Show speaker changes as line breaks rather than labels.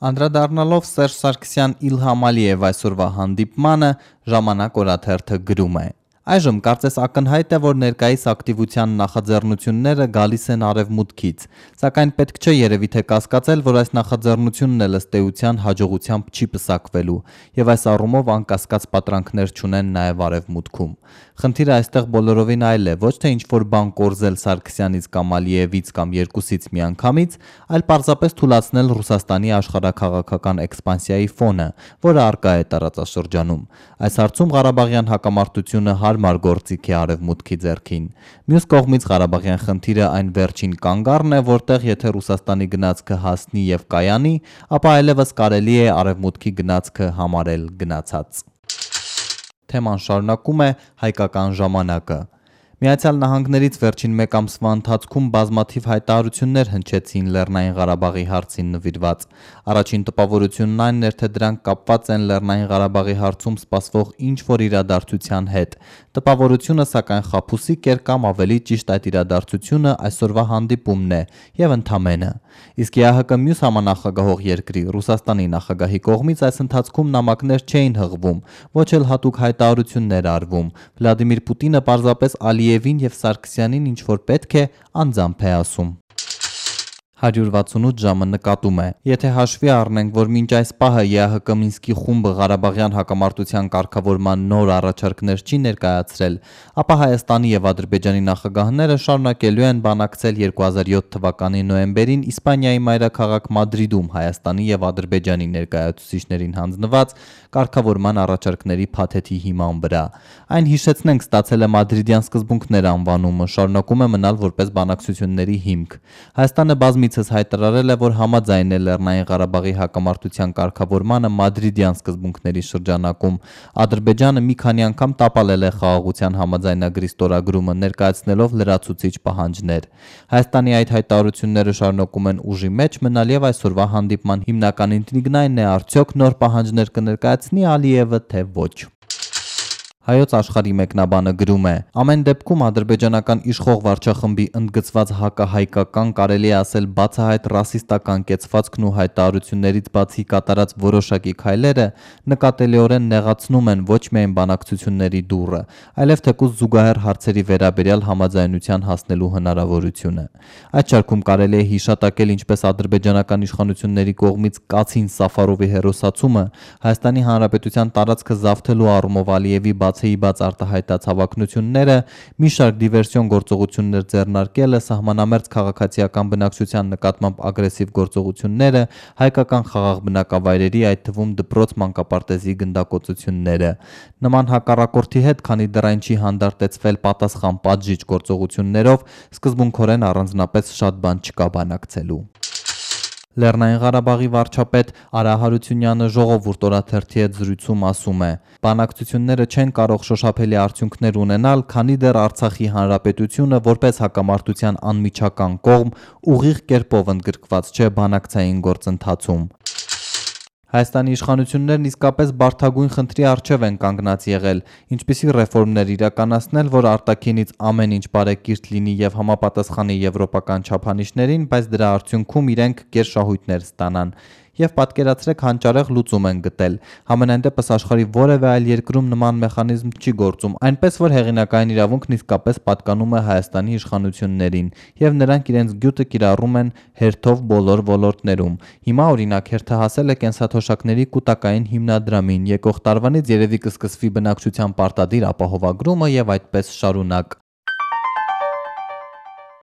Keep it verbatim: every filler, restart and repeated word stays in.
Անդրադառնալով Սերժ Սարգսյան Իլհամ Ալիև այսօրվա հանդիպմանը, Ժամանակ օրաթերթը գրում է. Այժմ կարծես ակնհայտ է, որ ներկայիս ակտիվության նախաձեռնությունները գալիս են արևմուտքից, սակայն պետք չէ երևի թե կասկածել, որ այս նախաձեռնությունն էլ ըստ էության հաջողությամբ չի պսակվելու, եւ այս առումով անկասկած պատրանքներ չունեն նաեւ արևմուտքում։ Խնդիրը այստեղ բոլորովին այլ է, ոչ թե ինչ-որ բան կորզել Սարգսյանից կամ Ալիևից կամ երկուսից միանգամից, այլ պարզապես թուլացնել Ռուսաստանի աշխարհաքաղաքական էքսպանսիայի ֆոնը, որը առկա է տարածաշրջանում։ Այս հարցում Ղարաբաղյան հակամարտությունը հարմար գործիք է արևմուտքի ձեռքին։ Մյուս կողմից Ղարաբաղյան խնդիրը այն վերջին կանգառն է, որտեղ եթե Ռուսաստանի գնացքը հասնի եւ կայանի, ապա այլևս կարելի է արևմուտքի գնացքը համարել գնացած։ Թեման շարունակում է Հայկական ժամանակը։ Միացյալ Նահանգներից վերջին մեկ ամսվա ընթացքում բազմաթիվ հայտարարություններ հնչեցին Լեռնային Ղարաբաղի հարցին նվիրված։ Առաջին տպավորությունն այն էր, թե դրանք կապված են Լեռնային Ղարաբաղի հարցում սպասվող ինչ-որ իրադարձության հետ։ Տպավորությունը սակայն խաբուսիկ էր կամ ավելի ճիշտ այդ իրադարձությունը այսօրվա հանդիպումն է եւ ընդամենը։ Իսկ ԵԱՀԿ մյուս համանախագահող երկրի Ռուսաստանի նախագահի կողմից այս ընթացքում նամակներ չէին հղվում, ոչ էլ հատուկ հայտարարություններ արվում։ Վլադիմիր Պուտինը պարզապես Ալիևին եւ Սարգսյանին ինչ որ պետք է անձամբ է ասում։ հարյուր վաթսունութ ժամը նկատում է. Եթե հաշվի առնենք, որ մինչ այս պահը ԵԱՀԿ Մինսկի խումբը Ղարաբաղյան հակամարտության կարգավորման նոր առաջարկներ չի ներկայացրել, ապա Հայաստանի եւ Ադրբեջանի նախագահները շարունակելու են բանակցել երկու հազար յոթ թվականի նոյեմբերին Իսպանիայի մայրաքաղաք Մադրիդում Հայաստանի եւ Ադրբեջանի ներկայացուցիչներին հանձնված կարգավորման առաջարկների փաթեթի հիման վրա։ Այն հիշեցնենք ստացել է Մադրիդյան սկզբունքներ անվանումը, շարունակում է մնալ որպես բանակցությունների հիմք։ Հայաստանը բազմիցս հայտարարել է, որ համաձայն է Լեռնային Ղարաբաղի հակամարտության կարգավորմանը Մադրիդյան սկզբունքների շրջանակում։ Ադրբեջանը մի քանի անգամ տապալել է խաղաղության համաձայնագրի ստորագրումը, ներկայացնելով լրացուցիչ պահանջներ։ Հայաստանի այդ հայտարարությունները շարունակում են ուժի մեջ մնալ եւ այսօրվա հանդիպման հիմնական ինտրիգն այն է, արդյոք նոր պահանջներ կներկայացնի Ալիևը, թե ոչ։ Հայոց աշխարհի մեկնաբանը գրում է. ամեն դեպքում ադրբեջանական իշխող վարչախմբի ընդգծված հակահայկական, կարելի է ասել բացահայտ ռասիստական կեցվածքն ու հայտարարություններից բացի կատարած որոշակի քայլերը նկատելիորեն նեղացնում են ոչ միայն բանակցությունների դուռը, այլև թեկուզ զուգահեռ հարցերի վերաբերյալ համաձայնության հասնելու հնարավորությունը։ Այդ շարքում կարելի է հիշատակել ինչպես ադրբեջանական իշխանությունների կողմից Կացին Սաֆարովի հերոսացումը, Հայաստանի Հանրապետության տարածքը զավթելու առումով Ալիևի բացեի բաց արտահայտած հավակնությունները, մի շարք դիվերսիոն գործողություններ ձեռնարկելը, սահմանամերձ քաղաքացիական բնակչության նկատմամբ ագրեսիվ գործողությունները, հայկական խաղաղ բնակավայրերի, այդ թվում դպրոց մանկապարտեզի գնդակոծությունները։ Նման հակառակորդի հետ, քանի դեռ այն չի հանդարտեցվել պատասխան պատժիչ գործողություններով, սկզբունքորեն առանձնապես շատ բան չկա բանակցելու։ Լեռնային Ղարաբաղի վարչապետ Արա Հարությունյանը Ժողովուրդ օրաթերթի հետ զրույցում ասում է. բանակցությունները չեն կարող շոշափելի արդյունքներ ունենալ, քանի դեռ Արցախի հանրապետությունը որպես հակամարտության անմիջական կողմ ուղիղ կերպով ընդգրկված չէ բանակցային գործընթացում։ Հայաստանի իշխանություններն իսկապես բարդագույն խնդրի առջև են կանգնած եղել, ինչպիսի ռեֆորմներ իրականացնել, որ արտաքինից ամեն ինչ բարեկիրթ լինի եւ համապատասխանի եվրոպական չափանիշներին, բայց դրա արդյունքում իրենք գերշահույթներ ստանան։ Եվ պատկերացրեք հանճարեղ լուծում են գտել։ Համենայն դեպս աշխարհի որևէ այլ երկրում նման մեխանիզմ չի գործում, այնպես որ հեղինակային իրավունքն իսկապես պատկանում է Հայաստանի իշխանություններին, եւ նրանք իրենց գյուտը կիրառում են հերթով բոլոր ոլորտներում։ Հիմա օրինակ հերթը հասել է կենսաթոշակների կൂട്ടակային հիմնադրամին, եկող տարվանից երևի կսկսվի բնակչության պարտադիր ապահովագրումը եւ այդպես շարունակ։